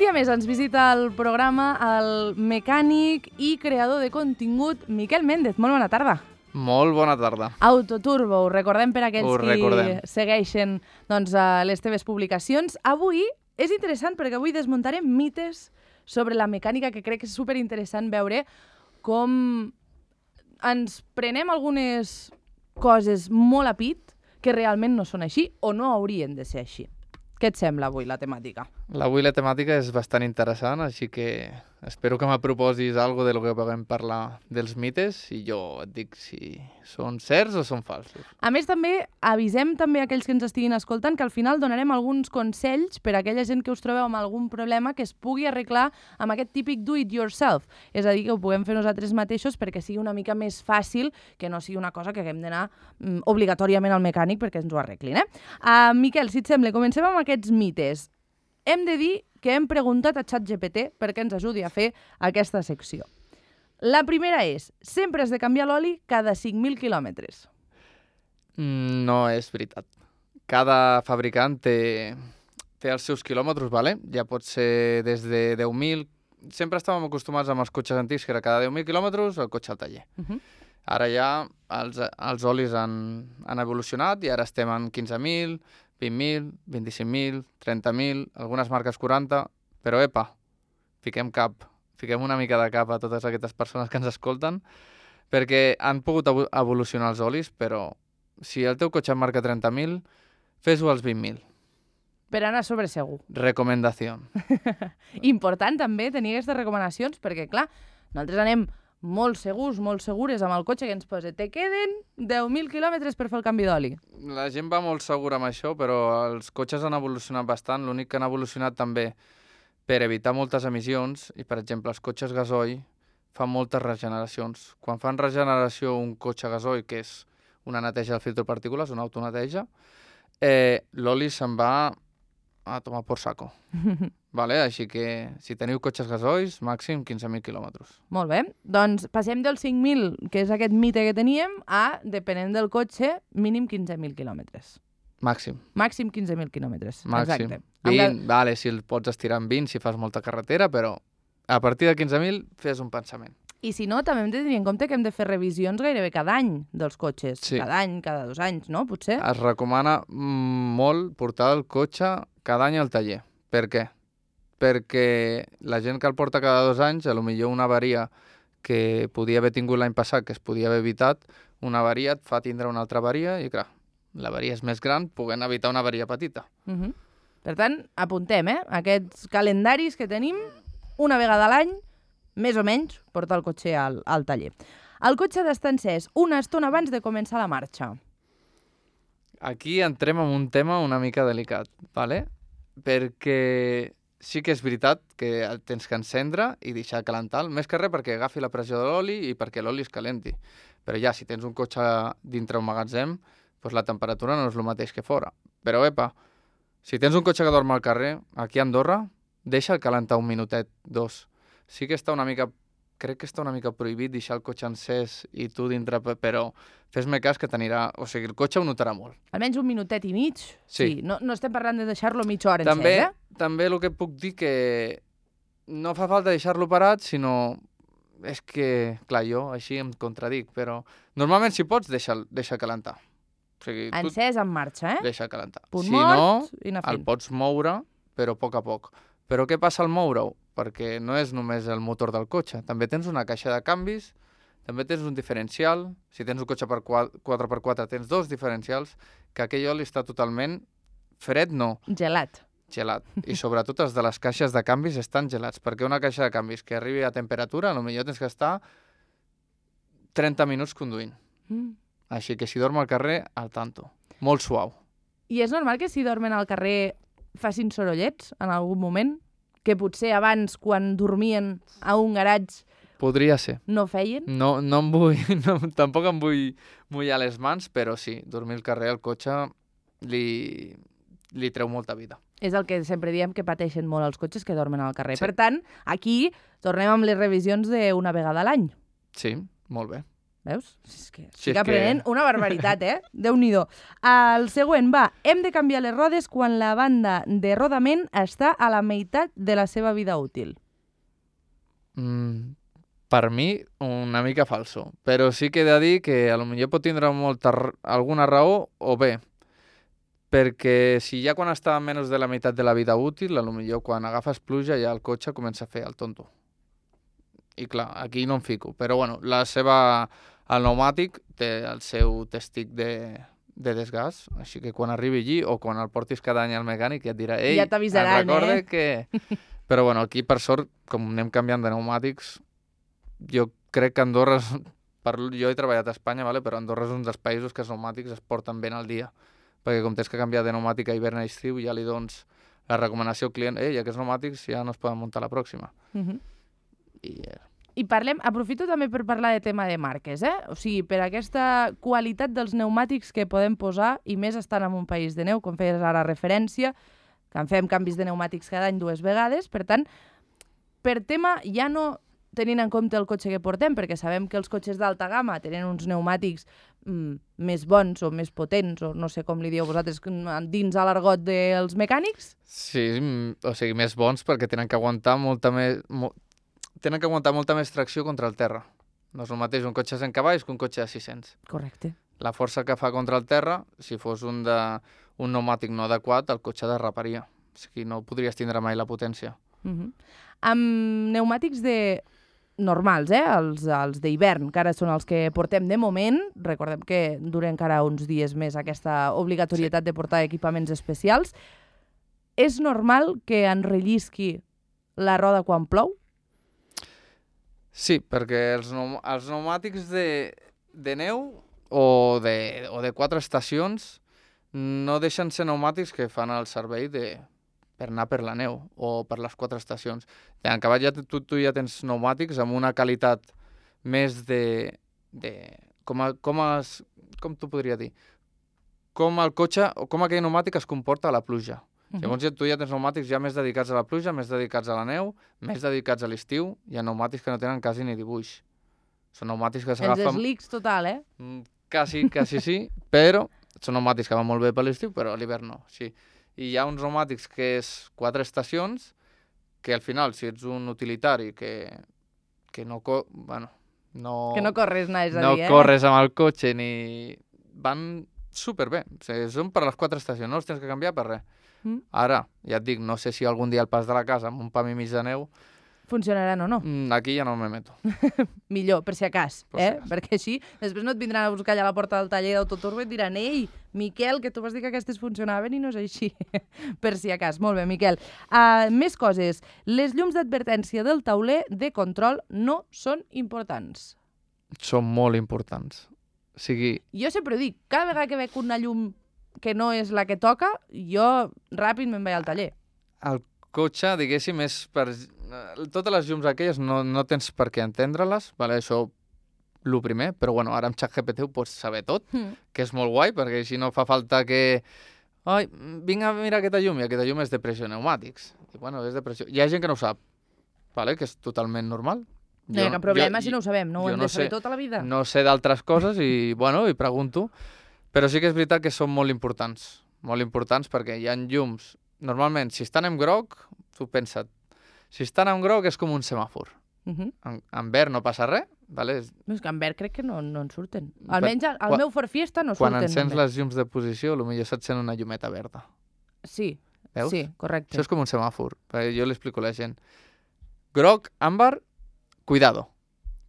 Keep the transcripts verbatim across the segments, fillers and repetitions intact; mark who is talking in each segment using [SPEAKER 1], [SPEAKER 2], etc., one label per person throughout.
[SPEAKER 1] dia més ens visita al programa el mecànic i creador de contingut Miquel Méndez. Molt bona tarda.
[SPEAKER 2] Molt bona tarda.
[SPEAKER 1] Autoturbo, ho recordem per aquells
[SPEAKER 2] Ho
[SPEAKER 1] qui
[SPEAKER 2] recordem.
[SPEAKER 1] segueixen doncs, les teves publicacions. Avui és interessant perquè avui desmuntarem mites sobre la mecànica, que crec que és superinteressant veure com ens prenem algunes coses molt a pit que realment no són així o no haurien de ser així. Què et sembla avui la temàtica?
[SPEAKER 2] Avui la temàtica és bastant interessant, així que espero que m'aproposis alguna de lo que puguem parlar dels mites i jo et dic si són certs o són falsos.
[SPEAKER 1] A més, també avisem també a aquells que ens estiguin escoltant que al final donarem alguns consells per a aquella gent que us trobeu amb algun problema que es pugui arreglar amb aquest típic do it yourself. És a dir, que ho puguem fer nosaltres mateixos perquè sigui una mica més fàcil, que no sigui una cosa que haguem d'anar mm, obligatòriament al mecànic perquè ens ho arreglin. Eh? Uh, Miquel, si et sembla, comencem amb aquests mites. Hem de dir que hem preguntat a ChatGPT perquè ens ajudi a fer aquesta secció. La primera és, sempre has de canviar l'oli cada cinc mil quilòmetres.
[SPEAKER 2] No és veritat. Cada fabricant té, té els seus quilòmetres, vale? Ja pot ser des de deu mil. Sempre estàvem acostumats amb els cotxes antics, que era cada deu mil quilòmetres el cotxe al taller.
[SPEAKER 1] Uh -huh.
[SPEAKER 2] Ara ja els, els olis han, han evolucionat i ara estem en quinze mil, vint mil, vint-i-cinc mil, trenta mil, algunes marques quaranta, però epa, fiquem cap, fiquem una mica de cap a totes aquestes persones que ens escolten, perquè han pogut evolucionar els olis, però si el teu cotxe en marca trenta mil, fes-ho als vint mil.
[SPEAKER 1] Per anar sobre segur.
[SPEAKER 2] Recomendació.
[SPEAKER 1] Important també tenir aquestes recomanacions, perquè clar, nosaltres anem molt segurs, molt segures amb el cotxe que ens posa. Te queden deu mil quilòmetres per fer el canvi d'oli.
[SPEAKER 2] La gent va molt segura amb això, però els cotxes han evolucionat bastant. L'únic que han evolucionat també per evitar moltes emissions, i per exemple els cotxes gasoil fan moltes regeneracions. Quan fan regeneració un cotxe gasoil, que és una neteja del filtre de partícules, una autoneteja, eh, l'oli se'n va a tomar por saco. Vale? Així que si teniu cotxes gasoils, màxim quinze mil quilòmetres.
[SPEAKER 1] Molt bé. Doncs passem dels cinc mil, que és aquest mite que teníem, a, depenent del cotxe, mínim quinze mil quilòmetres.
[SPEAKER 2] Màxim.
[SPEAKER 1] Màxim quinze mil quilòmetres.
[SPEAKER 2] Màxim.
[SPEAKER 1] Exacte.
[SPEAKER 2] vint, vale, si el pots estirar en vint, si fas molta carretera, però a partir de quinze mil fes un pensament.
[SPEAKER 1] I si no, també hem de tenir en compte que hem de fer revisions gairebé cada any dels cotxes.
[SPEAKER 2] Sí.
[SPEAKER 1] Cada any, cada dos anys, no? Potser?
[SPEAKER 2] Es recomana molt portar el cotxe cada any al taller. Per què? Perquè la gent que el porta cada dos anys, a lo millor una avaria que podia haver tingut l'any passat, que es podia haver evitat, una avaria et fa tindre una altra avaria i, clar, l'avaria és més gran, podent evitar una avaria petita.
[SPEAKER 1] Uh -huh. Per tant, apuntem, eh? Aquests calendaris que tenim una vegada a l'any, més o menys, portar el cotxe al, al taller. El cotxe d'estar encès una estona abans de començar la marxa.
[SPEAKER 2] Aquí entrem en un tema una mica delicat, ¿vale? Perquè sí que és veritat que el tens que encendre i deixar calentar, més que res perquè agafi la pressió de l'oli i perquè l'oli es calenti. Però ja, si tens un cotxe dintre un magatzem, doncs la temperatura no és el mateix que fora. Però, epa, si tens un cotxe que dorm al carrer, aquí a Andorra, deixa'l calentar un minutet, dos. Sí que està una mica, crec que està una mica prohibit deixar el cotxe encès i tu dintre, però fes-me cas que t'anirà, o sigui, el cotxe ho notarà molt.
[SPEAKER 1] Almenys un minutet i mig?
[SPEAKER 2] Sí.
[SPEAKER 1] Sí. No, no estem parlant de deixar-lo mitja hora
[SPEAKER 2] També,
[SPEAKER 1] encès, eh?
[SPEAKER 2] també el que puc dir que no fa falta deixar-lo parat, sinó és que, clar, jo així em contradic, però normalment si pots, deixa'l deixa calentar. O sigui, tu
[SPEAKER 1] Encès en marxa, eh?
[SPEAKER 2] deixa calentar.
[SPEAKER 1] Punt
[SPEAKER 2] Si
[SPEAKER 1] mort
[SPEAKER 2] no,
[SPEAKER 1] i anar
[SPEAKER 2] el
[SPEAKER 1] fent.
[SPEAKER 2] pots moure, però a poc a poc. Però què passa al moure-ho? Perquè no és només el motor del cotxe, també tens una caixa de canvis, també tens un diferencial, si tens un cotxe per quatre per quatre tens dos diferencials, que aquell oli està totalment fred, no,
[SPEAKER 1] Gelat.
[SPEAKER 2] gelat. I sobretot els de les caixes de canvis estan gelats, perquè una caixa de canvis que arribi a temperatura, potser tens que estar trenta minuts conduint.
[SPEAKER 1] Mm.
[SPEAKER 2] Així que si dorm al carrer, al tanto. Molt suau.
[SPEAKER 1] I és normal que si dormen al carrer facin sorollets en algun moment? Que potser abans, quan dormien a un garatge,
[SPEAKER 2] Podria ser.
[SPEAKER 1] no feien?
[SPEAKER 2] No, no em vull, no, tampoc em vull mullar les mans, però sí, dormir al carrer al cotxe li, li treu molta vida.
[SPEAKER 1] És el que sempre diem que pateixen molt els cotxes que dormen al carrer.
[SPEAKER 2] Sí.
[SPEAKER 1] Per tant, aquí tornem amb les revisions d'una vegada a l'any.
[SPEAKER 2] Sí, molt bé.
[SPEAKER 1] Veus? És que
[SPEAKER 2] Sí,
[SPEAKER 1] estic
[SPEAKER 2] és
[SPEAKER 1] aprenent
[SPEAKER 2] que-
[SPEAKER 1] una barbaritat, eh? Déu-n'hi-do. El següent, va. Hem de canviar les rodes quan la banda de rodament està a la meitat de la seva vida útil.
[SPEAKER 2] Mm, per mi, una mica falso. Però sí que he de dir que a lo millor pot tindre molta, r- alguna raó o bé. Perquè si ja quan està a menys de la meitat de la vida útil, a lo millor quan agafes pluja ja el cotxe comença a fer el tonto. I clar, aquí no em fico. Però bueno, la seva... El pneumàtic té el seu testic de, de desgast, així que quan arribi allí o quan el portis cada any al mecànic ja et dirà ei,
[SPEAKER 1] Ja t'avisaran,
[SPEAKER 2] recorde
[SPEAKER 1] eh?"
[SPEAKER 2] que... Però bueno, aquí per sort, com anem canviant de pneumàtics, jo crec que Andorra, és... per... jo he treballat a Espanya, vale? Però Andorra és un dels països que els pneumàtics es porten ben al dia, perquè com tens que canviar de pneumàtic a hivern a estiu, ja li dones la recomanació al client, ei, aquests pneumàtics ja no es poden muntar la pròxima.
[SPEAKER 1] Uh -huh.
[SPEAKER 2] I eh,
[SPEAKER 1] I parlem, aprofito també per parlar de tema de marques, eh? O sigui, per aquesta qualitat dels pneumàtics que podem posar, i més estant en un país de neu, com feies ara referència, que en fem canvis de pneumàtics cada any dues vegades, per tant, per tema ja no tenint en compte el cotxe que portem, perquè sabem que els cotxes d'alta gamma tenen uns pneumàtics mm, més bons o més potents, o no sé com li dieu vosaltres, dins a l'argot dels mecànics.
[SPEAKER 2] sí, mm, o sigui, més bons perquè tenen que aguantar molta més... Mo... tenen que aguantar molta més tracció contra el terra. No és el mateix un cotxe de cent cavalls que un cotxe de sis-cents.
[SPEAKER 1] Correcte.
[SPEAKER 2] La força que fa contra el terra, si fos un, de, un pneumàtic no adequat, el cotxe derraparia. O sigui, no podries tindre mai la potència.
[SPEAKER 1] Uh -huh. Amb pneumàtics de normals, eh? els, els d'hivern, que ara són els que portem de moment, recordem que dura encara uns dies més aquesta obligatorietat sí. de portar equipaments especials, és normal que enrellisqui la roda quan plou?
[SPEAKER 2] Sí, perquè els, pneum els pneumàtics de, de neu o de, o de quatre estacions no deixen ser pneumàtics que fan el servei de, per anar per la neu o per les quatre estacions. En cavall ja, tu, tu ja tens pneumàtics amb una qualitat més de... de com, a, com, es, com t'ho podria dir? Com el cotxe, o com aquell pneumàtic es comporta a la pluja. Uh -huh. Llavors ja, tu ja tens pneumàtics ja més dedicats a la pluja, més dedicats a la neu, més dedicats a l'estiu. Hi ha pneumàtics que no tenen quasi ni dibuix. Són pneumàtics que s'agafen...
[SPEAKER 1] Els slicks total, eh?
[SPEAKER 2] Quasi, quasi sí, però són pneumàtics que van molt bé per l'estiu, però a l'hivern no, sí. I hi ha uns pneumàtics que és quatre estacions, que al final, si ets un utilitari que, que no... Co bueno, no...
[SPEAKER 1] Que no corres, anaves a
[SPEAKER 2] no
[SPEAKER 1] dir, eh?
[SPEAKER 2] No corres amb el cotxe ni... Van superbé. O sigui, són per les quatre estacions, no els tens que canviar per res. Mm. Ara, ja et dic, no sé si algun dia al pas de la casa amb un pam i mig de neu
[SPEAKER 1] funcionaran o no.
[SPEAKER 2] Aquí ja no me meto.
[SPEAKER 1] Millor, per si acas,
[SPEAKER 2] per
[SPEAKER 1] eh?
[SPEAKER 2] Si acas.
[SPEAKER 1] Perquè així després no et vindran a buscar allà a la porta del taller d'Autoturbo i et diran ei, Miquel, que tu vas dir que aquestes funcionaven i no és així. Per si acas. Molt bé, Miquel. Uh, més coses. Les llums d'advertència del tauler de control no són importants.
[SPEAKER 2] Són molt importants. O sigui...
[SPEAKER 1] Jo sempre ho dic, cada vegada que veig una llum que no és la que toca, jo ràpid me'n vaig al taller.
[SPEAKER 2] El cotxe, diguéssim, és per... Totes les llums aquelles no, no tens per què entendre-les, vale? Això el primer, però bueno, ara amb ChatGPT ho pots saber tot, mm. que és molt guai, perquè així no fa falta que... Ai, vinc a mirar aquesta llum, i aquesta llum és de pressió pneumàtics. I bueno, és de pressió... Hi ha gent que no ho sap, vale? Que és totalment normal.
[SPEAKER 1] No hi ha cap problema
[SPEAKER 2] jo,
[SPEAKER 1] si no ho sabem, no ho hem
[SPEAKER 2] no
[SPEAKER 1] de saber
[SPEAKER 2] sé,
[SPEAKER 1] tota la vida.
[SPEAKER 2] No sé d'altres coses i, bueno, i pregunto, però sí que és veritat que són molt importants, molt importants perquè hi ha llums... Normalment, si estan en groc, tu pensa't, si estan en groc és com un semàfor. Uh -huh. en, en verd no passa res, vale?
[SPEAKER 1] És que en verd crec que no, no en surten. Almenys al, al meu Ford Fiesta no
[SPEAKER 2] quan
[SPEAKER 1] surten.
[SPEAKER 2] Quan encens les llums de posició, potser se't sent una llumeta verda.
[SPEAKER 1] Sí,
[SPEAKER 2] veus?
[SPEAKER 1] Sí, correcte.
[SPEAKER 2] Això és com un semàfor. Jo li explico a la gent. Groc, àmbar, cuidado.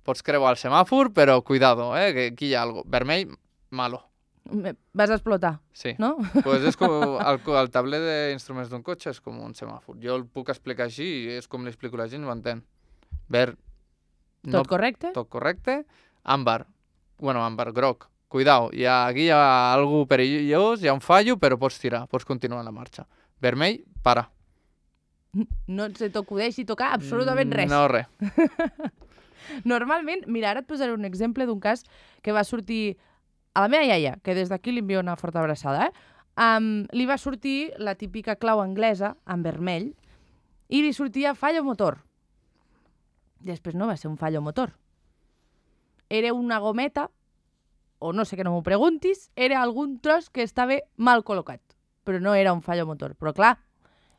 [SPEAKER 2] Pots creuar el semàfor, però cuidado, eh? Que aquí hi ha algo. Vermell, malo.
[SPEAKER 1] Vas a explotar,
[SPEAKER 2] sí.
[SPEAKER 1] No?
[SPEAKER 2] Pues és com el, el tabler d'instruments d'un cotxe és com un semàfor. Jo el puc explicar així i és com li explico a la gent i ho entén. Verd...
[SPEAKER 1] No, tot correcte?
[SPEAKER 2] Tot correcte. Àmbar. Bueno, àmbar, groc. Cuidao, hi ha, aquí hi ha algú perillós, hi ha un fallo, però pots tirar, pots continuar la marxa. Vermell, para.
[SPEAKER 1] No se t'acudeixi tocar absolutament res.
[SPEAKER 2] No, res.
[SPEAKER 1] Normalment, mira, ara et posaré un exemple d'un cas que va sortir a la meva iaia, que des d'aquí li envio una forta abraçada, eh? Um, li va sortir la típica clau anglesa en vermell i li sortia fallo motor. Després no va ser un fallo motor. era una gometa, o no sé que no m'ho preguntis, era algun tros que estava mal col·locat, però no era un fallo motor. Però clar,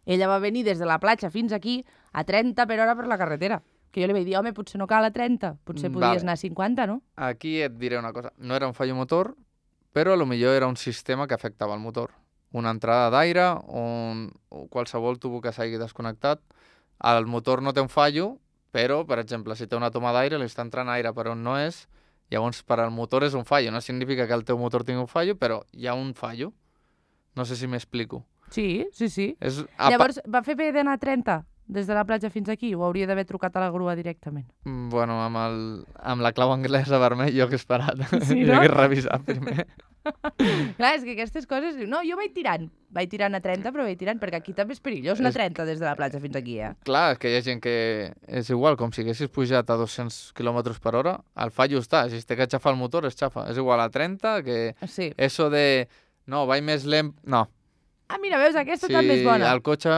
[SPEAKER 1] ella va venir des de la platja fins aquí a trenta per hora per la carretera. Que jo li vaig dir, home, potser no cal a trenta, potser
[SPEAKER 2] Mm,
[SPEAKER 1] podies
[SPEAKER 2] vale.
[SPEAKER 1] anar a cinquanta, no?
[SPEAKER 2] Aquí et diré una cosa. No era un fallo motor, però a lo millor era un sistema que afectava el motor. Una entrada d'aire, un, o qualsevol tubo que s'hagi desconnectat. El motor no té un fallo, però, per exemple, si té una toma d'aire, li està entrant aire per on no és, llavors per al motor és un fallo. No significa que el teu motor tingui un fallo, però hi ha un fallo. No sé si m'explico.
[SPEAKER 1] Sí, sí, sí.
[SPEAKER 2] És, a,
[SPEAKER 1] Llavors, va fer bé d'anar a trenta des de la platja fins aquí o hauria d'haver trucat a la grua directament?
[SPEAKER 2] Mm, Bueno, amb, el, amb la clau anglesa vermell jo hagués parat.
[SPEAKER 1] Sí,
[SPEAKER 2] Jo
[SPEAKER 1] no?
[SPEAKER 2] hagués revisat primer.
[SPEAKER 1] Clar, és que aquestes coses... No, jo vaig tirant. Vaig tirant a trenta, però vaig tirant, perquè aquí també és perillós anar a
[SPEAKER 2] És-
[SPEAKER 1] trenta des de la platja fins aquí, eh?
[SPEAKER 2] Clar, és que hi ha gent que és igual, com si haguessis pujat a dos-cents quilòmetres per hora, el fallo està. Si es té que xafar el motor, es xafa. És igual a trenta que
[SPEAKER 1] Sí.
[SPEAKER 2] eso de... No, vaig més lent... No.
[SPEAKER 1] Ah, mira, veus, aquesta
[SPEAKER 2] Si
[SPEAKER 1] també és bona.
[SPEAKER 2] el cotxe...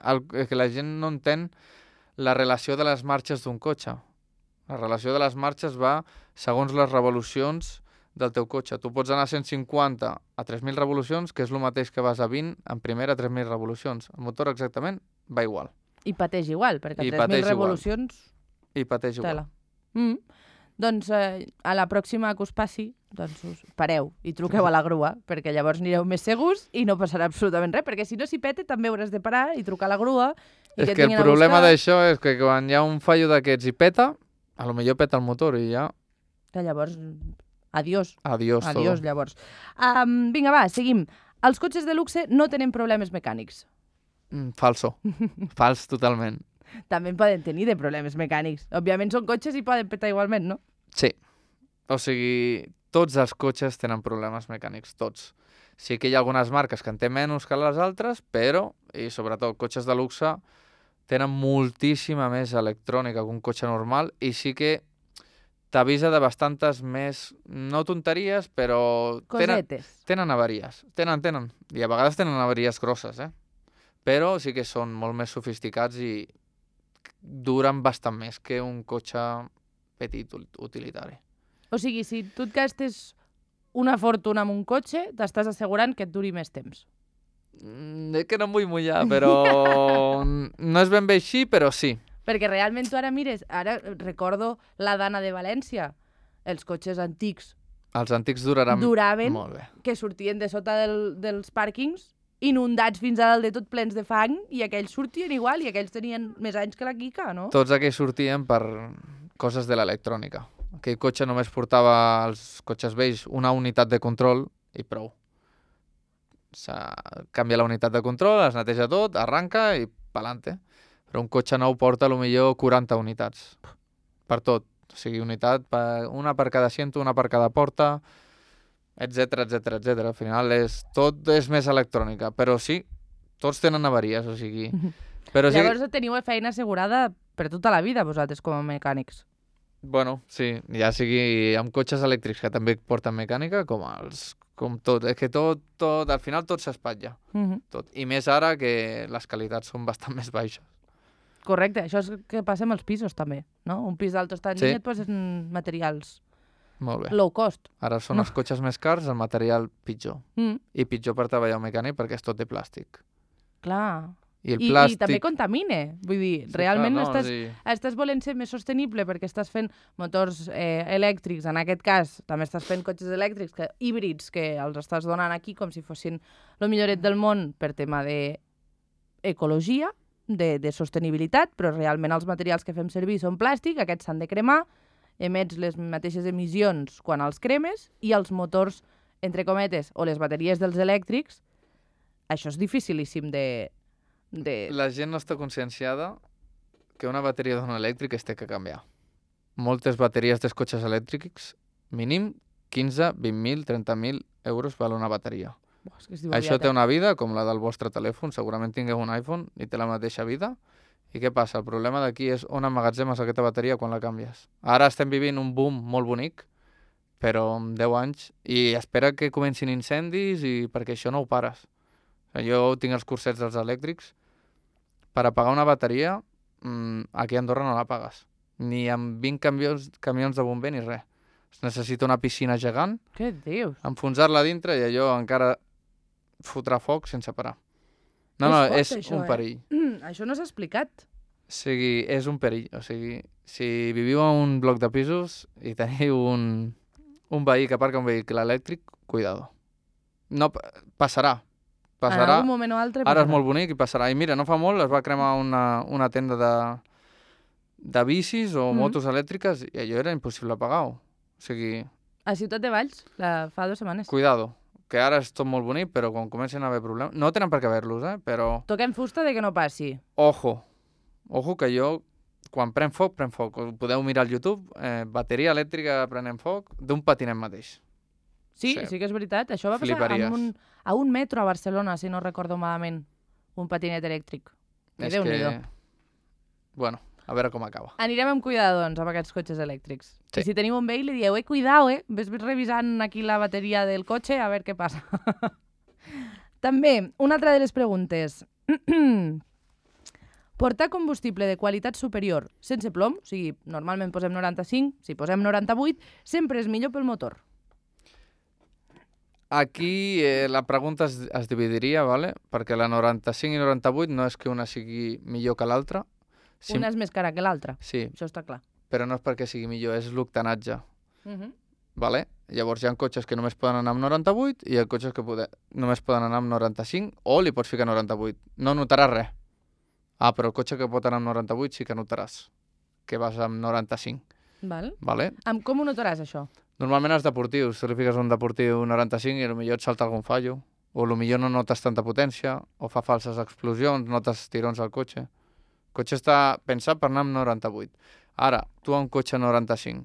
[SPEAKER 2] El, és que la gent no entén la relació de les marxes d'un cotxe. La relació de les marxes va segons les revolucions del teu cotxe. Tu pots anar a cent cinquanta a tres mil revolucions, que és el mateix que vas a vint en primera a tres mil revolucions. El motor exactament va igual.
[SPEAKER 1] I pateix igual, perquè
[SPEAKER 2] I
[SPEAKER 1] a tres mil
[SPEAKER 2] pateix igual.
[SPEAKER 1] revolucions...
[SPEAKER 2] I pateix igual.
[SPEAKER 1] Tela. Mm. Doncs eh, a la pròxima que us passi, doncs us pareu i truqueu a la grua, perquè llavors anireu més segurs i no passarà absolutament res, perquè si no s'hi pete també hauràs de parar i trucar a la grua i
[SPEAKER 2] És
[SPEAKER 1] que, et
[SPEAKER 2] que el
[SPEAKER 1] vinguin a
[SPEAKER 2] problema
[SPEAKER 1] buscar.
[SPEAKER 2] d'això és que quan hi ha un fallo d'aquests i peta, a lo millor peta el motor i ja,
[SPEAKER 1] Que llavors, adiós.
[SPEAKER 2] adiós,
[SPEAKER 1] Adiós,
[SPEAKER 2] todo.
[SPEAKER 1] llavors. Um, vinga, va, seguim. Els cotxes de luxe no tenen problemes mecànics.
[SPEAKER 2] Mm, falso. Fals totalment.
[SPEAKER 1] També en poden tenir de problemes mecànics. Òbviament són cotxes i poden petar igualment, no?
[SPEAKER 2] Sí. O sigui, tots els cotxes tenen problemes mecànics, tots. Sí que hi ha algunes marques que en té menys que les altres, però, i sobretot cotxes de luxe, tenen moltíssima més electrònica que un cotxe normal i sí que t'avisa de bastantes més, no tonteries, però tenen,
[SPEAKER 1] Cosetes.
[SPEAKER 2] tenen avaries. Tenen, tenen. I a vegades tenen avaries grosses, eh? Però sí que són molt més sofisticats i duren bastant més que un cotxe petit ut- utilitari.
[SPEAKER 1] O sigui, si tu et gastes una fortuna en un cotxe, t'estàs assegurant que et duri més temps.
[SPEAKER 2] Mm, és que no em vull mullar, però no és ben bé així, però sí.
[SPEAKER 1] Perquè realment tu ara mires, ara recordo la Dana de València, els cotxes antics
[SPEAKER 2] Els antics duraran
[SPEAKER 1] duraven,
[SPEAKER 2] molt bé.
[SPEAKER 1] que sortien de sota del, dels pàrquings, inundats fins a dalt de tot plens de fang, i aquells sortien igual, i aquells tenien més anys que la Quica, no?
[SPEAKER 2] Tots aquells sortien per coses de l'electrònica. Aquell cotxe només portava als cotxes vells una unitat de control i prou. S'ha- Canvia la unitat de control, es neteja tot, arranca i pa'lante. Però un cotxe nou porta potser quaranta unitats. Per tot. O sigui, unitat, per, una per cada asiento, una per cada porta, etcètera, etcètera, etcètera. Al final és, tot és més electrònica. Però sí, tots tenen avaries, o sigui... Però sí,
[SPEAKER 1] Llavors teniu feina assegurada per tota la vida, vosaltres, com a mecànics.
[SPEAKER 2] bueno, sí, ja sigui amb cotxes elèctrics que també porten mecànica, com els com tot. És que tot, tot al final tot s'espatlla.
[SPEAKER 1] Mhm.
[SPEAKER 2] Tot. I més ara que les qualitats són bastant més baixes.
[SPEAKER 1] Correcte, això és el que passa amb els pisos també, no? Un pis d'alto standing
[SPEAKER 2] Sí.
[SPEAKER 1] et posen materials
[SPEAKER 2] Molt bé.
[SPEAKER 1] low cost.
[SPEAKER 2] Ara són
[SPEAKER 1] No.
[SPEAKER 2] els cotxes més cars, el material pitjor.
[SPEAKER 1] Mm,
[SPEAKER 2] I pitjor per treballar un mecànic perquè és tot de plàstic.
[SPEAKER 1] clar.
[SPEAKER 2] I el
[SPEAKER 1] I,
[SPEAKER 2] plàstic...
[SPEAKER 1] I també contamine. Vull dir,
[SPEAKER 2] Sí,
[SPEAKER 1] realment
[SPEAKER 2] clar,
[SPEAKER 1] estàs,
[SPEAKER 2] sí.
[SPEAKER 1] estàs volent ser més sostenible perquè estàs fent motors eh, elèctrics, en aquest cas també estàs fent cotxes elèctrics, que, híbrids, que els estàs donant aquí com si fossin el milloret del món per tema d'ecologia, de, de sostenibilitat, però realment els materials que fem servir són plàstic, aquests s'han de cremar, emets les mateixes emissions quan els cremes i els motors, entre cometes, o les bateries dels elèctrics, això és dificilíssim de... de...
[SPEAKER 2] La gent no està conscienciada que una bateria d'un elèctric es té que canviar. Moltes bateries dels cotxes elèctrics, mínim quinze, vint mil, trenta mil euros val una bateria.
[SPEAKER 1] Buah, és que es diu
[SPEAKER 2] Això
[SPEAKER 1] aviat,
[SPEAKER 2] té
[SPEAKER 1] eh?
[SPEAKER 2] una vida com la del vostre telèfon, segurament tingueu un iPhone i té la mateixa vida. I què passa? El problema d'aquí és on emmagatzemes aquesta bateria quan la canvies. Ara estem vivint un boom molt bonic, però en deu anys, i espera que comencin incendis i perquè això no ho pares. O sigui, jo tinc els cursets dels elèctrics, per apagar una bateria, mmm, aquí a Andorra no la pagues. Ni amb vint camions, camions de bomber ni res. Es necessita una piscina gegant,
[SPEAKER 1] Què dius?
[SPEAKER 2] enfonsar-la dintre i allò encara fotrà foc sense parar. No, no,
[SPEAKER 1] fort,
[SPEAKER 2] és
[SPEAKER 1] això,
[SPEAKER 2] un
[SPEAKER 1] eh?
[SPEAKER 2] perill.
[SPEAKER 1] Mm, això no s'ha explicat.
[SPEAKER 2] O sigui, és un perill. O sigui, si viviu en un bloc de pisos i teniu un, un veí que aparca un vehicle elèctric, cuidado. No, pa- passarà.
[SPEAKER 1] En
[SPEAKER 2] Passarà.
[SPEAKER 1] algun moment o altre
[SPEAKER 2] Ara és
[SPEAKER 1] passarà.
[SPEAKER 2] molt bonic i passarà. I mira, no fa molt es va cremar una, una tenda de, de bicis o
[SPEAKER 1] Mhm.
[SPEAKER 2] motos elèctriques i allò era impossible apagar-ho. O sigui,
[SPEAKER 1] A Ciutat de Valls, la... fa dues setmanes.
[SPEAKER 2] cuidado, que ara és tot molt bonic, però quan comencen a haver problemes... No tenen per què haver-los, eh? Però,
[SPEAKER 1] Toquem fusta de que no passi.
[SPEAKER 2] ojo, ojo que jo, quan pren foc, pren foc. Ho podeu mirar al YouTube, eh, bateria elèctrica prenent foc d'un patinet mateix.
[SPEAKER 1] Sí,
[SPEAKER 2] Sí.
[SPEAKER 1] sí que és veritat. Això va passar
[SPEAKER 2] Fliparies.
[SPEAKER 1] en un, a un metro a Barcelona, si no recordo malament. Un patinet elèctric. Que
[SPEAKER 2] És
[SPEAKER 1] Déu-n'hi-do.
[SPEAKER 2] que... Bueno, a veure com acaba.
[SPEAKER 1] Anirem amb cuidado, doncs, amb aquests cotxes elèctrics.
[SPEAKER 2] Sí.
[SPEAKER 1] I si teniu un veí, li dieu, eh, cuidao, eh? Ves revisant aquí la bateria del cotxe a veure què passa. També, una altra de les preguntes. Portar combustible de qualitat superior sense plom, o sigui, normalment posem noranta-cinc, si posem noranta-vuit, sempre és millor pel motor.
[SPEAKER 2] Aquí eh, la pregunta es, es dividiria, ¿vale? Perquè la noranta-cinc i noranta-vuit no és que una sigui millor que l'altra.
[SPEAKER 1] Sí. Una és més cara que l'altra,
[SPEAKER 2] Sí,
[SPEAKER 1] això està clar.
[SPEAKER 2] però no és perquè sigui millor, és l'octanatge.
[SPEAKER 1] Uh -huh.
[SPEAKER 2] Vale? Llavors hi ha cotxes que només poden anar amb noranta-vuit i hi ha cotxes que pode... només poden anar amb noranta-cinc o li pots ficar noranta-vuit. No notaràs res. Ah, però el cotxe que pot anar amb noranta-vuit sí que notaràs que vas amb noranta-cinc.
[SPEAKER 1] Val?
[SPEAKER 2] Vale?
[SPEAKER 1] Amb com ho notaràs, això?
[SPEAKER 2] Normalment els deportius, si li fiques un deportiu noranta-cinc i potser et salta algun fallo, o potser no notes tanta potència, o fa falses explosions, notes tirons al cotxe. El cotxe està pensat per anar amb noranta-vuit. Ara, tu a un cotxe noranta-cinc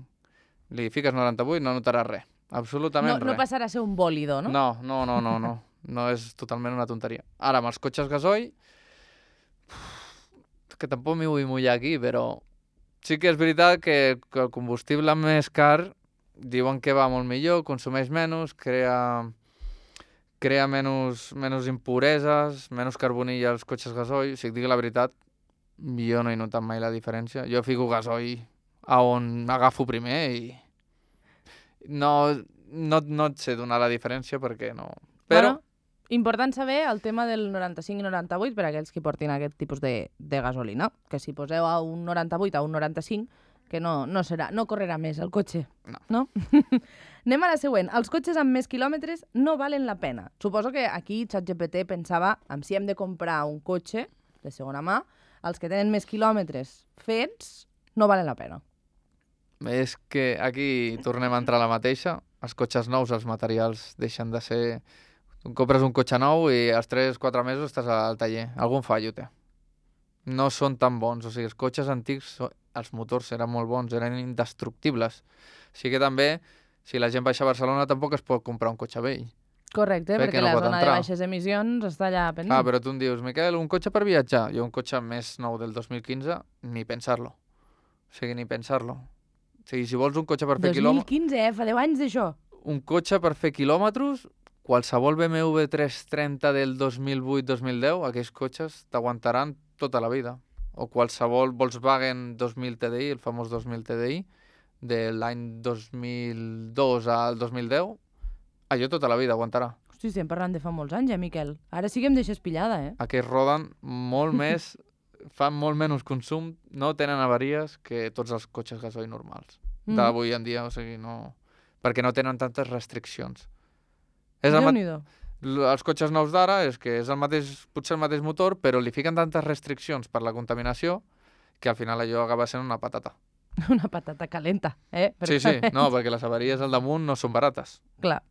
[SPEAKER 2] li fiques noranta-vuit, no notaràs res. Absolutament
[SPEAKER 1] No, no
[SPEAKER 2] res.
[SPEAKER 1] passarà a ser un bòlido, no?
[SPEAKER 2] No, no, no, no, no. No és totalment una tonteria. Ara, amb els cotxes gasoil, que tampoc m'hi vull mullar aquí, però sí que és veritat que, que el combustible més car diuen que va molt millor, consumeix menys, crea, crea menys, menys impureses, menys carbonilla als cotxes gasoil. Si et dic la veritat, jo no he notat mai la diferència. Jo fico gasoil a on agafo primer i no, no, no et sé donar la diferència perquè no... Però
[SPEAKER 1] Bueno, important saber el tema del noranta-cinc i noranta-vuit per a aquells que portin aquest tipus de, de gasolina. Que si poseu a un noranta-vuit a un noranta-cinc, que no, no, serà, no correrà més el cotxe.
[SPEAKER 2] No.
[SPEAKER 1] no? Anem a la següent. Els cotxes amb més quilòmetres no valen la pena. Suposo que aquí ChatGPT pensava en si hem de comprar un cotxe de segona mà, els que tenen més quilòmetres fets no valen la pena.
[SPEAKER 2] és que aquí tornem a entrar a la mateixa. Els cotxes nous, els materials deixen de ser... Tu compres un cotxe nou i als tres o quatre mesos estàs al taller. Algun fallo té. No són tan bons. O sigui, els cotxes antics, so- els motors eren molt bons, eren indestructibles. Així que també, si la gent baixa a Barcelona, tampoc es pot comprar un cotxe vell.
[SPEAKER 1] Correcte,
[SPEAKER 2] Perquè
[SPEAKER 1] perquè
[SPEAKER 2] no
[SPEAKER 1] la
[SPEAKER 2] pot
[SPEAKER 1] zona
[SPEAKER 2] entrar.
[SPEAKER 1] de baixes emissions està allà pendent.
[SPEAKER 2] Ah, però tu em dius, Miquel, un cotxe per viatjar? Jo un cotxe més nou del dos mil quinze, ni pensar-lo. O sigui, ni pensar-lo. O sigui, si vols un cotxe per fer
[SPEAKER 1] dos mil
[SPEAKER 2] quilòmetres...
[SPEAKER 1] quinze, eh? Fa deu anys d'això.
[SPEAKER 2] Un cotxe per fer quilòmetres, qualsevol B M W tres trenta del dos mil vuit dos mil deu, aquells cotxes t'aguantaran tota la vida. O qualsevol Volkswagen dos mil T D I, el famós dos mil T D I, de l'any dos mil dos al dos mil deu, allò tota la vida aguantarà.
[SPEAKER 1] Hosti, estem parlant de fa molts anys, eh, Miquel? Ara sí que em deixes pillada, eh?
[SPEAKER 2] Aquests roden molt més, fan molt menys consum, no tenen avaries que tots els cotxes gasoil normals
[SPEAKER 1] Mm.
[SPEAKER 2] d'avui en dia, o sigui, no... perquè no tenen tantes restriccions. És el, ma-
[SPEAKER 1] Déu-n'hi-do.
[SPEAKER 2] l- els cotxes nous d'ara és que és el mateix, potser el mateix motor, però li fiquen tantes restriccions per la contaminació que al final allò acaba sent una patata.
[SPEAKER 1] Una patata calenta, eh?
[SPEAKER 2] Sí, sí,
[SPEAKER 1] Perquè-
[SPEAKER 2] no, perquè les avaries al damunt no són barates.
[SPEAKER 1] Clar.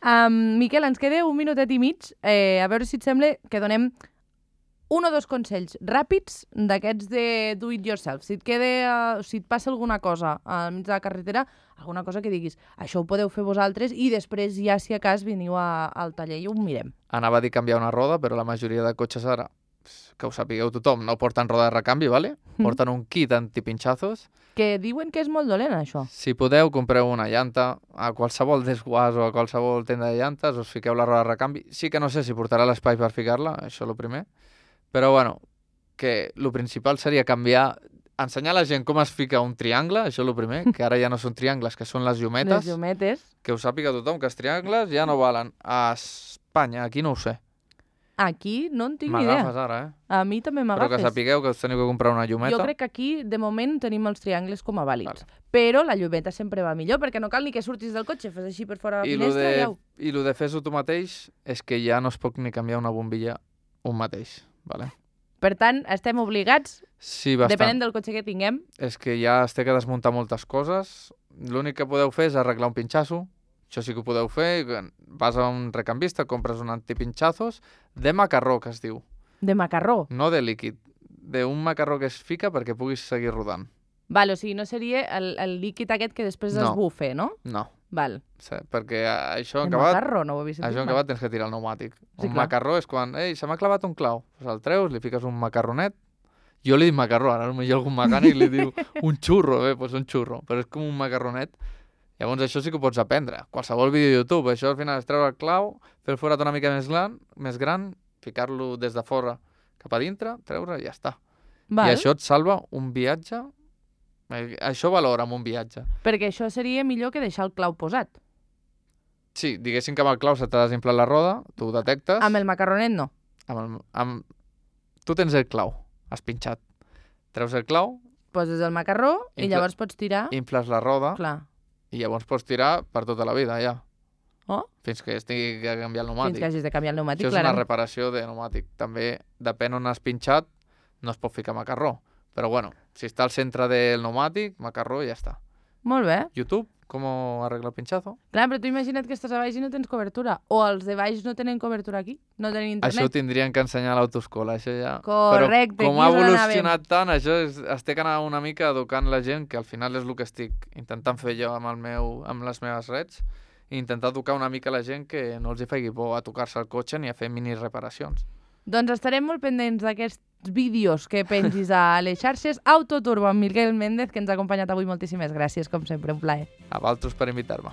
[SPEAKER 1] Um, Miquel, ens queda un minutet i mig. Eh, a veure si et sembla que donem un o dos consells ràpids d'aquests de do it yourself. Si et, queda, uh, si et passa alguna cosa al mig de la carretera, alguna cosa que diguis, això ho podeu fer vosaltres i després ja, si a cas, veniu a, al taller i ho mirem.
[SPEAKER 2] Anava a dir canviar una roda, però la majoria de cotxes ara, que ho sapigueu tothom, no porten roda de recanvi, ¿vale? Porten un kit antipinchazos.
[SPEAKER 1] Que diuen que és molt dolent, això.
[SPEAKER 2] Si podeu, compreu una llanta a qualsevol desguàs o a qualsevol tenda de llantes, us fiqueu la roda de recanvi. Sí que no sé si portarà l'espai per ficar-la, això és el primer. Però, bueno, que el principal seria canviar ensenyar a la gent com es fica un triangle, això és el primer, que ara ja no són triangles, que són les llumetes.
[SPEAKER 1] Les llumetes.
[SPEAKER 2] Que ho sàpiga tothom, que els triangles ja no valen. A Espanya, aquí no ho sé.
[SPEAKER 1] Aquí no en tinc ni idea.
[SPEAKER 2] M'agafes ara, eh?
[SPEAKER 1] A mi també
[SPEAKER 2] Però
[SPEAKER 1] m'agafes.
[SPEAKER 2] que sapigueu que us teniu que comprar una llumeta.
[SPEAKER 1] Jo crec que aquí, de moment, tenim els triangles com a vàlids.
[SPEAKER 2] Vale.
[SPEAKER 1] Però la llumeta sempre va millor, perquè no cal ni que surtis del cotxe, fes així per fora de la
[SPEAKER 2] I lo
[SPEAKER 1] finestra
[SPEAKER 2] de,
[SPEAKER 1] i au.
[SPEAKER 2] I el de fes-ho tu mateix és que ja no es pot ni canviar una bombilla un mateix. Vale?
[SPEAKER 1] Per tant, estem obligats,
[SPEAKER 2] Sí, bastant.
[SPEAKER 1] depenent del cotxe que tinguem,
[SPEAKER 2] És que ja es té que desmuntar moltes coses. L'únic que podeu fer és arreglar un pinxasso. Això sí que ho podeu fer. Vas a un recambista, compres un antipinchazos de macarró, que es diu.
[SPEAKER 1] de macarró.
[SPEAKER 2] No de líquid. D'un macarró que es fica perquè puguis seguir rodant.
[SPEAKER 1] Val, o sigui, no seria el, el líquid aquest que després
[SPEAKER 2] No.
[SPEAKER 1] es bufe, no?
[SPEAKER 2] No.
[SPEAKER 1] Val.
[SPEAKER 2] Sí, perquè això en
[SPEAKER 1] El
[SPEAKER 2] acabat,
[SPEAKER 1] macarró, no ho havia sentit
[SPEAKER 2] això en
[SPEAKER 1] mai.
[SPEAKER 2] acabat tens que tirar el pneumàtic.
[SPEAKER 1] Sí,
[SPEAKER 2] un
[SPEAKER 1] clar.
[SPEAKER 2] macarró és quan, ei, se m'ha clavat un clau. Pues el treus, li fiques un macarronet. Jo li dic macarró, ara potser algun mecànic li diu un xurro, bé, doncs un xurro, però és com un macarronet. Llavors això sí que ho pots aprendre. Qualsevol vídeo de YouTube, això al final és treure el clau, fer el forat una mica més gran, més gran, ficar-lo des de fora cap a dintre, treure i ja està.
[SPEAKER 1] Val.
[SPEAKER 2] I això et salva un viatge. Eh, Això valora amb un viatge.
[SPEAKER 1] Perquè això seria millor que deixar el clau posat.
[SPEAKER 2] Sí, diguéssim que amb el clau se t'ha desinflat la roda, tu ho detectes.
[SPEAKER 1] Amb el macarronet no.
[SPEAKER 2] Amb el, amb... Tu tens el clau, has pinxat. Treus el clau,
[SPEAKER 1] Poses el macarró i
[SPEAKER 2] Infla-
[SPEAKER 1] llavors pots tirar...
[SPEAKER 2] infles la roda
[SPEAKER 1] Clar.
[SPEAKER 2] i llavors pots tirar per tota la vida, ja.
[SPEAKER 1] Oh,
[SPEAKER 2] Fins que es tingui que canviar el
[SPEAKER 1] fins
[SPEAKER 2] pneumàtic.
[SPEAKER 1] que hagis de canviar el pneumàtic,
[SPEAKER 2] Això és una
[SPEAKER 1] clarament.
[SPEAKER 2] reparació de pneumàtic. També, depèn on has pinxat, no es pot ficar macarró. Però bueno, si està al centre del pneumàtic, macarró i ja està.
[SPEAKER 1] Molt bé.
[SPEAKER 2] YouTube, com arregla el pinchazo?
[SPEAKER 1] Clar, però tu imagina't que estàs a baix i no tens cobertura. O els de baix no tenen cobertura aquí. No tenen internet.
[SPEAKER 2] Això ho tindrien que ensenyar a l'autoescola, això ja...
[SPEAKER 1] Correcte,
[SPEAKER 2] Però com
[SPEAKER 1] aquí
[SPEAKER 2] ha
[SPEAKER 1] és on
[SPEAKER 2] evolucionat tant, això és, es té que anar una mica educant la gent, que al final és el que estic intentant fer jo amb, el meu, amb les meves reds, i intentar educar una mica la gent que no els hi faci por a tocar-se el cotxe ni a fer mini reparacions.
[SPEAKER 1] Doncs estarem molt pendents d'aquests vídeos que pengis a les xarxes. Autoturbo amb Miguel Méndez, que ens ha acompanyat avui. Moltíssimes gràcies, com sempre, un plaer.
[SPEAKER 2] A vosaltres per invitar-me.